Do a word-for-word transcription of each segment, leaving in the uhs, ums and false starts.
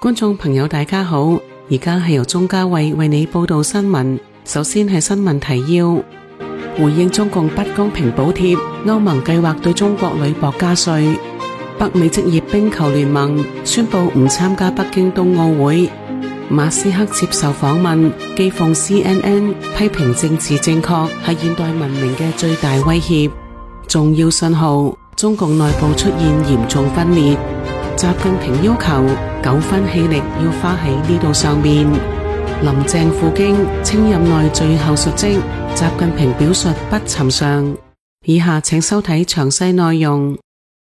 觀眾朋友大家好，而家係由鍾嘉慧為你報道新聞。首先係新聞提要，回應中共不公平補貼，歐盟計劃對中國鋁箔加稅。北美職業冰球聯盟宣布唔參加北京冬奧會。馬斯克接受訪問，譏諷 C N N 批評政治正確係現代文明嘅最大威脅。重要信號，中共內部出現嚴重分裂。習近平要求九分氣力要花喺呢度上面。林鄭赴京稱任內最後述職，習近平表述不尋常。以下請收睇詳細內容。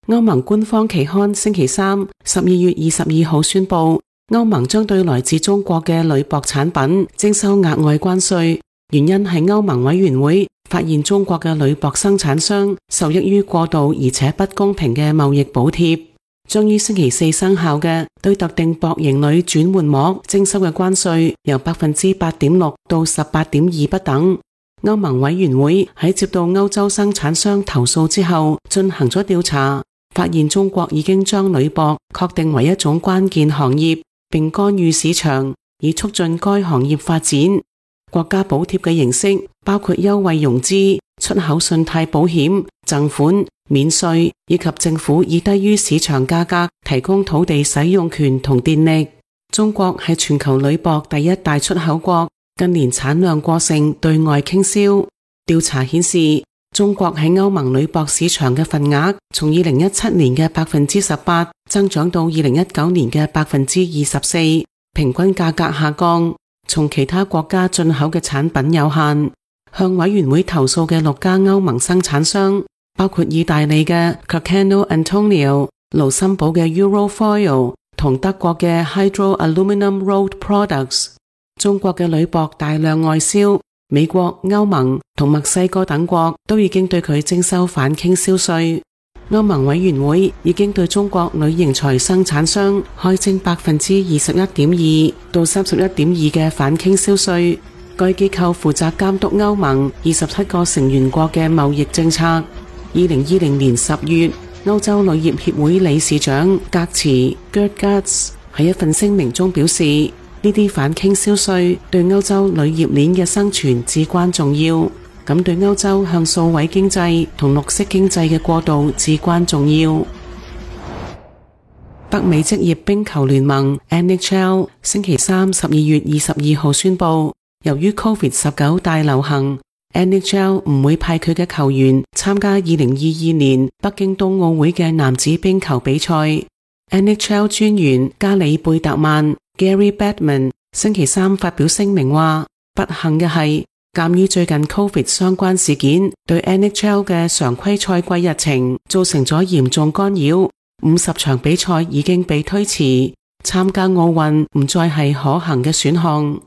歐盟官方期刊星期三十二月二十二號宣布，歐盟將對來自中國嘅鋁箔產品徵收額外關稅，原因係歐盟委員會發現中國嘅鋁箔生產商受益於過度而且不公平嘅貿易補貼。將於星期四生效嘅對特定薄型鋁轉換膜徵收嘅關稅由百分之八點六到十八點二不等。歐盟委員會喺接到歐洲生產商投訴之後進行咗調查，發現中國已經將鋁箔確定為一種關鍵行業，並干預市場以促進該行業發展。國家補貼嘅形式包括優惠融資、出口信貸保險、贈款、免稅以及政府以低於市場價格提供土地使用權同電力。中國係全球鋁箔第一大出口國，近年產量過剩，對外傾銷。調查顯示，中國喺歐盟鋁箔市場嘅份額從二零一七年嘅百分之十八增長到二零一九年嘅百分之二十四，平均價格下降。從其他國家進口嘅產品有限。向委員會投訴嘅六家歐盟生產商，包括意大利嘅 Carcano Antonio、盧森堡嘅 Eurofoil 同德國嘅 Hydro Aluminium Rolled Products。中國嘅鋁箔大量外銷，美國、歐盟同墨西哥等國都已經對佢徵收反傾銷稅。歐盟委員會已經對中國鋁型材生產商開徵百分之二十一點二到三十一點二嘅反傾銷稅。該機構負責監督歐盟二十七個成員國嘅貿易政策。二零二零年十月，歐洲鋁業協會理事長格茨 Gerd Gutz 喺一份聲明中表示，呢啲反傾銷稅對歐洲鋁業鏈嘅生存至關重要。咁對歐洲向數位經濟同綠色經濟嘅過渡至關重要。北美職業冰球聯盟 N H L 星期三十二月二十二號宣布，由於 COVID 十九 大流行， N H L 唔會派佢嘅球員參加二零二二年北京冬奧會嘅男子冰球比賽。N H L 專員加里貝特曼 Gary Bettman 星期三發表聲明話，不幸嘅係，鑒於最近 COVID 相關事件對 N H L 嘅常規賽季日程造成咗嚴重干擾，五十場比賽已經被推遲，參加奧運唔再係可行嘅選項。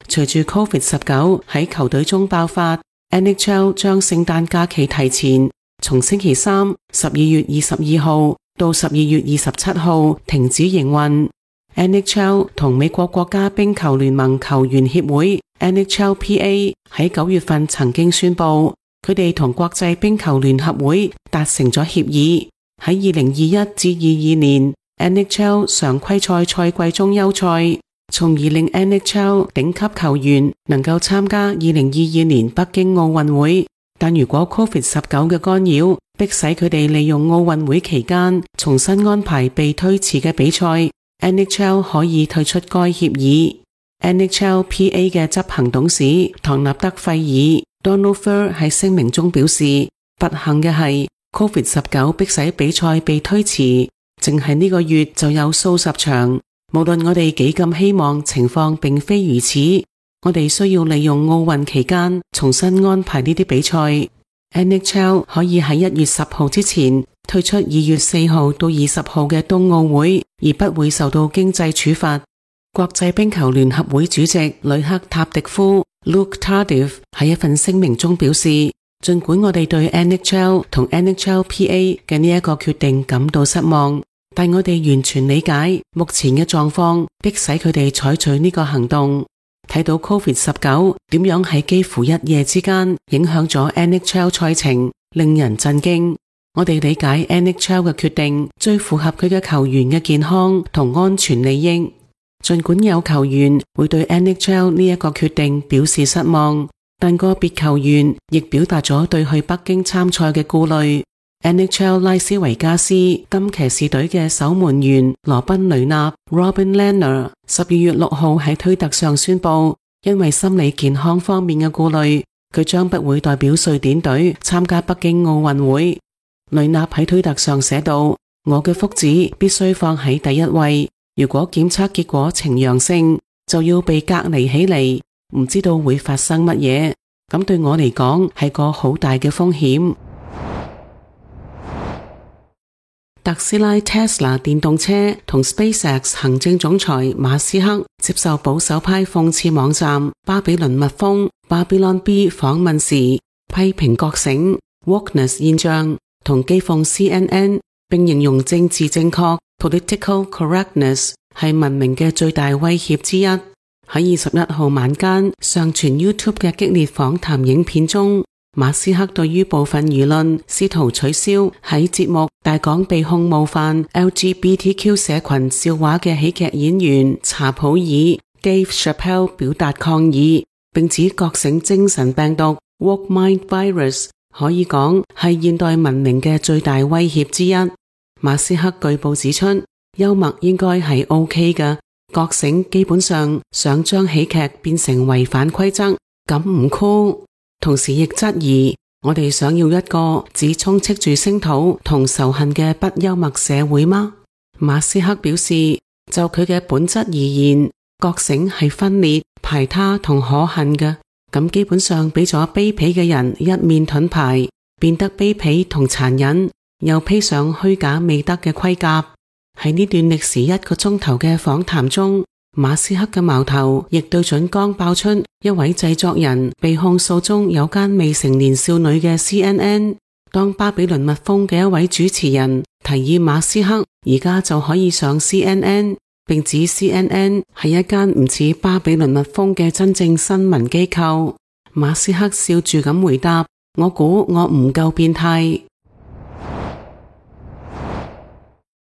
隨住 COVID 十九 喺球隊中爆發， N H L 將聖誕假期提前，從星期三十二月二十二號到十二月二十七號停止營運。N H L 同美國國家冰球聯盟球員協會 N H L P A 喺九月份曾經宣布，佢哋同國際冰球聯合會達成咗協議，喺二零二一至二二年 N H L 常規賽賽季中休賽，從而令 N H L 頂級球員能夠參加二零二二年北京奧運會。但如果 COVID 十九 嘅干擾迫使佢哋利用奧運會期間重新安排被推遲嘅比賽， N H L 可以退出該協議。N H L P A 嘅執行董事唐納德費爾 Donald Fur 喺聲明中表示，不幸嘅係 COVID 十九 迫使比賽被推遲，淨係呢個月就有數十場。無論我哋幾咁希望情況並非如此，我哋需要利用奧運期間重新安排呢啲比賽。N H L 可以喺一月十號之前退出二月四號到二十號嘅冬奧會，而不會受到經濟處罰。國際冰球聯合會主席呂克塔迪夫 Luke Tardif 喺一份聲明中表示，儘管我哋對 N H L 同 N H L P A 嘅呢一個決定感到失望，但我哋完全理解目前嘅狀況迫使佢哋採取呢個行動。睇到 COVID 十九 點樣喺幾乎一夜之間影響咗 N H L 賽程，令人震驚。我哋理解 N H L 嘅決定最符合佢嘅球員嘅健康同安全利益。盡管有球員會對 N H L 呢一個決定表示失望，但個別球員亦表達咗對去北京參賽嘅顧慮。N H L 拉斯維加斯金騎士隊嘅守門員羅賓雷納 Robin Lehner 十二月六號喺推特上宣布，因為心理健康方面嘅顧慮，佢將不會代表瑞典隊參加北京奧運會。雷納喺推特上寫道：我嘅福祉必須放喺第一位，如果檢測結果呈陽性，就要被隔離起嚟，唔知道會發生乜嘢，咁對我嚟講係個好大嘅風險。特斯拉 Tesla 電動車同 SpaceX 行政總裁馬斯克接受保守派諷刺網站巴比倫蜜蜂 Babylon Bee 訪問時，批評覺醒 wokeness 現象同譏諷 C N N， 並形容政治正確 political correctness 係文明嘅最大威脅之一。喺二十一號晚間上傳 YouTube 嘅激烈訪談影片中，馬斯克對於部分輿論試圖取消喺節目大講被控冒犯 L G B T Q 社群笑話嘅喜劇演員查普爾 Dave Chappelle 表達抗議，並指覺醒精神病毒 Woke Mind Virus 可以講係現代文明嘅最大威脅之一。馬斯克據報指出，幽默應該係 OK 嘅，覺醒基本上想將喜劇變成違反規則，咁唔酷。同時亦質疑，我哋想要一個只充斥住聲討同仇恨嘅不幽默社會嗎？馬斯克表示，就佢嘅本質而言，覺醒係分裂、排他同可恨嘅，咁基本上俾咗卑鄙嘅人一面盾牌，變得卑鄙同殘忍，又披上虛假美德嘅盔甲。喺呢段歷時一個鐘頭嘅訪談中，馬斯克嘅矛頭亦對準剛爆出一位製作人被控訴中有姦未成年少女嘅 C N N。當巴比倫蜜蜂嘅一位主持人提議馬斯克而家就可以上 C N N， 並指 C N N 係一間唔似巴比倫蜜蜂嘅真正新聞機構，馬斯克笑住咁回答：我估我唔夠變態。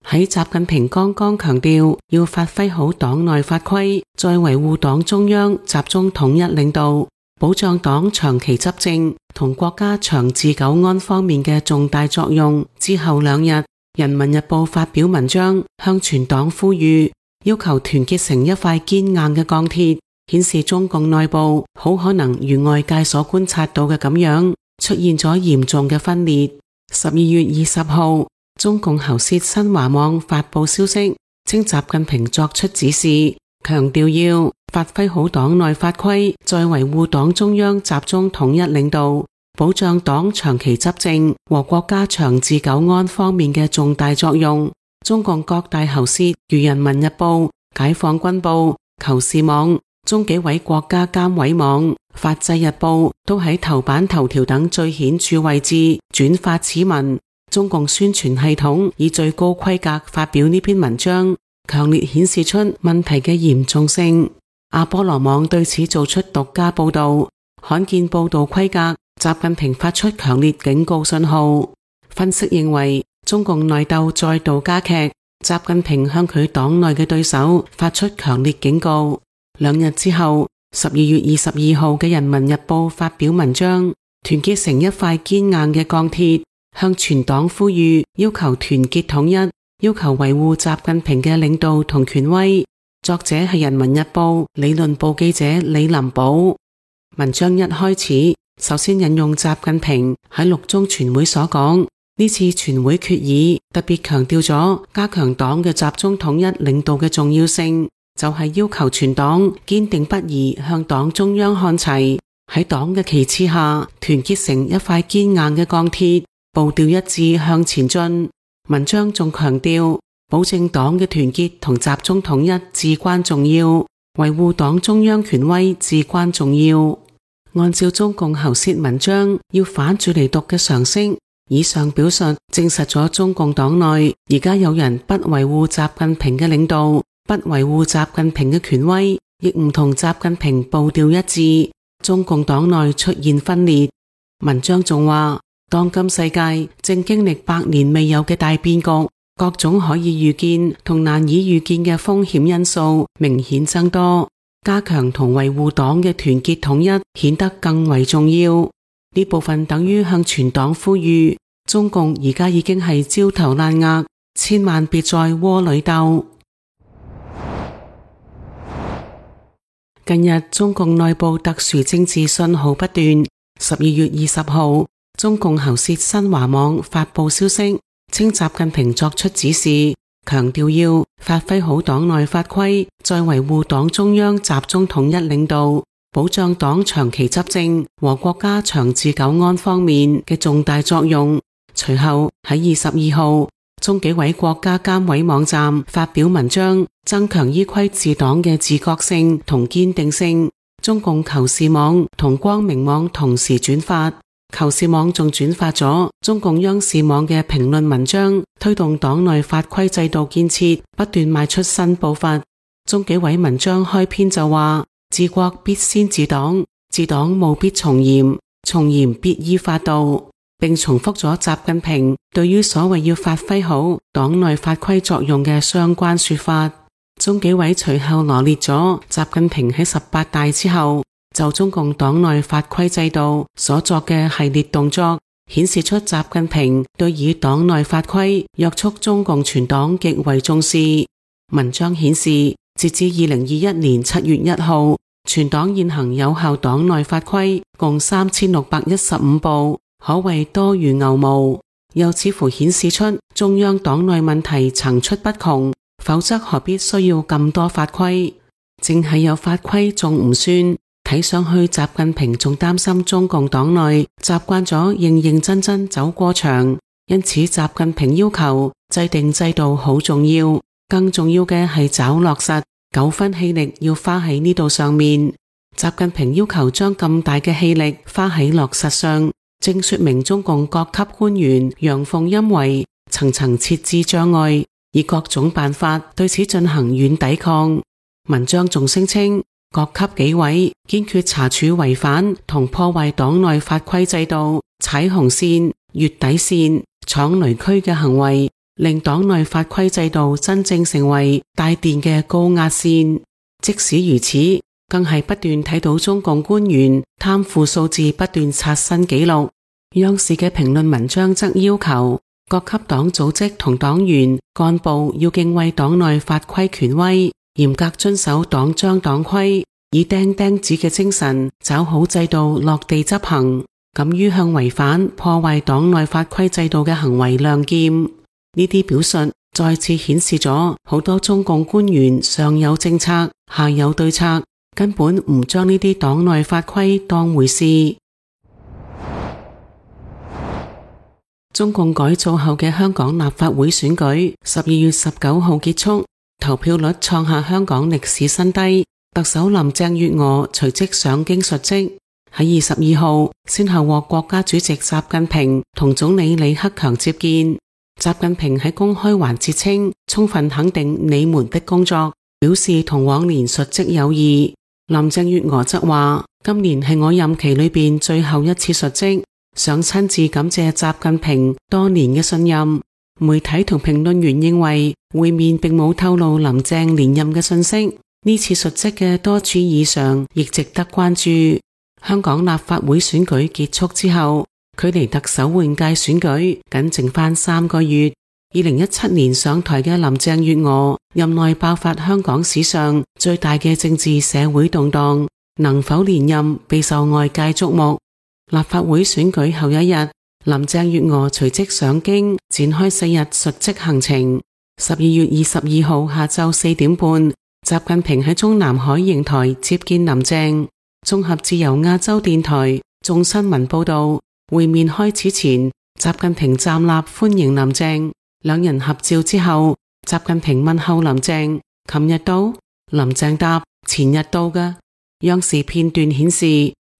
喺習近平剛剛強調要發揮好黨內法規，再維護黨中央集中統一領導，保障黨長期執政同國家長治久安方面嘅重大作用之後兩日，人民日報發表文章向全黨呼籲，要求團結成一塊堅硬嘅鋼鐵，顯示中共內部好可能如外界所觀察到嘅咁樣出現咗嚴重嘅分裂。十二月二十號，中共喉舌新華網發佈消息，稱習近平作出指示，強調要發揮好黨內法規，再維護黨中央集中統一領導，保障黨長期執政和國家長治久安方面嘅重大作用。中共各大喉舌如人民日報、解放軍報、求是網、中紀委國家監委網、法制日報都喺頭版頭條等最顯著位置轉發此文。中共宣傳系統以最高規格發表呢篇文章，強烈顯示出問題嘅嚴重性。阿波羅網對此做出獨家報道，罕見報道規格，習近平發出強烈警告信號。分析認為，中共內鬥再度加劇，習近平向佢黨內嘅對手發出強烈警告。兩日之後，十二月二十二號嘅人民日報發表文章，團結成一塊堅硬嘅鋼鐵，向全黨呼籲，要求團結統一，要求維護習近平嘅領導同權威。作者係人民日報理論部記者李林寶。文章一開始，首先引用習近平喺六中全會所講，呢次全會決議特別強調咗加強黨嘅集中統一領導嘅重要性，就係要求全黨堅定不移向黨中央看齊，喺黨嘅旗幟下團結成一塊堅硬嘅鋼鐵，步調一致向前進。文章仲強調，保證黨嘅團結同集中統一至關重要，維護黨中央權威至關重要。按照中共喉舌文章要反住嚟讀嘅常識，以上表述證實咗中共黨內而家有人不維護習近平嘅領導，不維護習近平嘅權威，亦唔同習近平步調一致。中共黨內出現分裂。文章仲話，當今世界正經歷百年未有嘅大變局，各種可以預見同難以預見嘅風險因素明顯增多，加強同維護黨嘅團結統一顯得更為重要。呢部分等於向全黨呼籲，中共而家已經係焦頭爛額，千萬別再窩裏鬥。近日中共內部特殊政治信號不斷。十二月二十號，中共喉舌新華網發佈消息，稱習近平作出指示，強調要發揮好黨內法規，在維護黨中央集中統一領導、保障黨長期執政和國家長治久安方面嘅重大作用。隨後喺二十二號，中紀委國家監委網站發表文章，增強依規治黨嘅自覺性同堅定性。中共求是網同光明網同時轉發，求是網仲轉發咗中共央視網嘅評論文章，推動黨內法規制度建設不斷邁出新步伐。中紀委文章開篇就話：治國必先治黨，治黨務必從嚴，從嚴必依法度，並重複咗習近平對於所謂要發揮好黨內法規作用嘅相關說法。中紀委隨後羅列咗習近平喺十八大之後就中共黨內法規制度所作嘅系列動作，顯示出習近平對以黨內法規約束中共全黨極為重視。文章顯示，截至二零二一年七月一號，全黨現行有效黨內法規共三千六百一十五部，可謂多如牛毛。又似乎顯示出中央黨內問題層出不窮。否則何必需要咁多法規？淨係有法規仲唔算，睇上去習近平仲擔心中共黨內習慣咗認認真真走過場，因此習近平要求制定制度好重要，更重要嘅係找落實，九分氣力要花喺呢度上面。習近平要求將咁大嘅氣力花喺落實上，正說明中共各級官員陽奉陰違，層層設置障礙，以各種辦法對此進行軟抵抗。文章仲聲稱，各級紀委堅決查處違反同破壞黨內法規制度、踩紅線、越底線、闖雷區嘅行為，令黨內法規制度真正成為帶電嘅高壓線。即使如此，更係不斷睇到中共官員貪腐數字不斷刷新紀錄。央視嘅評論文章則要求各級黨組織同黨員幹部要敬畏黨內法規權威，嚴格遵守黨章黨規，以釘釘子嘅精神抓好制度落地執行，敢於向違反破壞黨內法規制度嘅行為亮劍。呢啲表述再次顯示咗好多中共官員上有政策下有對策，根本唔將呢啲黨內法規當回事。中共改造後嘅香港立法會選舉十二月十九號結束，投票率創下香港歷史新低。特首林鄭月娥隨即上京述職，喺二十二號先後獲國家主席習近平同總理李克強接見。習近平喺公開環節稱，充分肯定你們的工作，表示同往年述職有異。林鄭月娥則話，今年係我任期裏邊最後一次述職，想親自感謝習近平多年嘅信任。媒體同評論員認為會面並冇透露林鄭連任嘅信息，呢次述職嘅多處異常亦值得關注。香港立法會選舉結束之後，距離特首換屆選舉僅剩翻三個月。二零一七年上台嘅林鄭月娥任內爆發香港史上最大嘅政治社會動盪，能否連任備受外界矚目。立法會選舉後一日，林鄭月娥隨即上京展開四日述職行程。十二月二十二號下晝四點半，習近平喺中南海瀛台接見林鄭。綜合自由亞洲電台、眾新聞報道，會面開始前，習近平站立歡迎林鄭，兩人合照之後，習近平問候林鄭：琴日到？林鄭答：前日到㗎。央視片段顯示，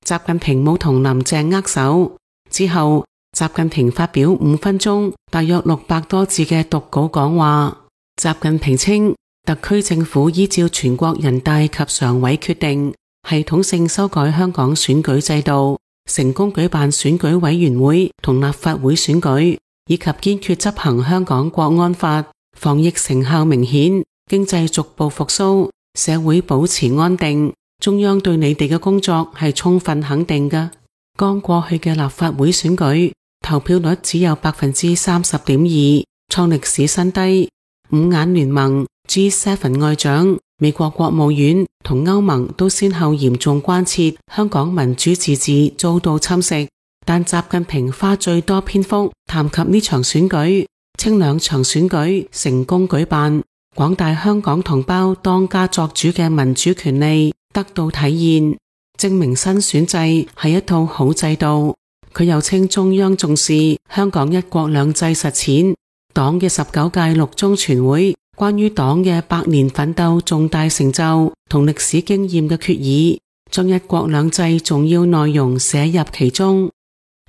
習近平冇同林鄭握手。之後，習近平發表五分鐘，大約六百多字嘅讀稿講話。習近平稱，特區政府依照全國人大及常委決定，系統性修改香港選舉制度，成功舉辦選舉委員會同立法會選舉，以及堅決執行香港國安法，防疫成效明顯，經濟逐步復甦，社會保持安定。中央對你哋嘅工作係充分肯定嘅。剛過去嘅立法會選舉，投票率只有百分之三十點二，創歷史新低。五眼聯盟、G 七 外長、美國國務院同歐盟都先後嚴重關切香港民主自治遭到侵蝕，但習近平花最多篇幅談及呢場選舉，稱兩場選舉成功舉辦，廣大香港同胞當家作主嘅民主權利得到體現，證明新選制係一套好制度。佢又稱中央重視香港一國兩制實踐，黨嘅十九屆六中全會關於黨嘅百年奮鬥重大成就同歷史經驗嘅決議，將一國兩制重要內容寫入其中。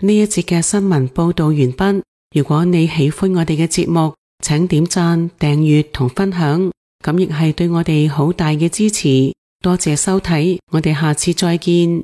呢一節嘅新聞報道完畢。如果你喜歡我哋嘅節目，請點讚、訂閱同分享，咁亦係對我哋好大嘅支持。多謝收睇，我哋下次再見。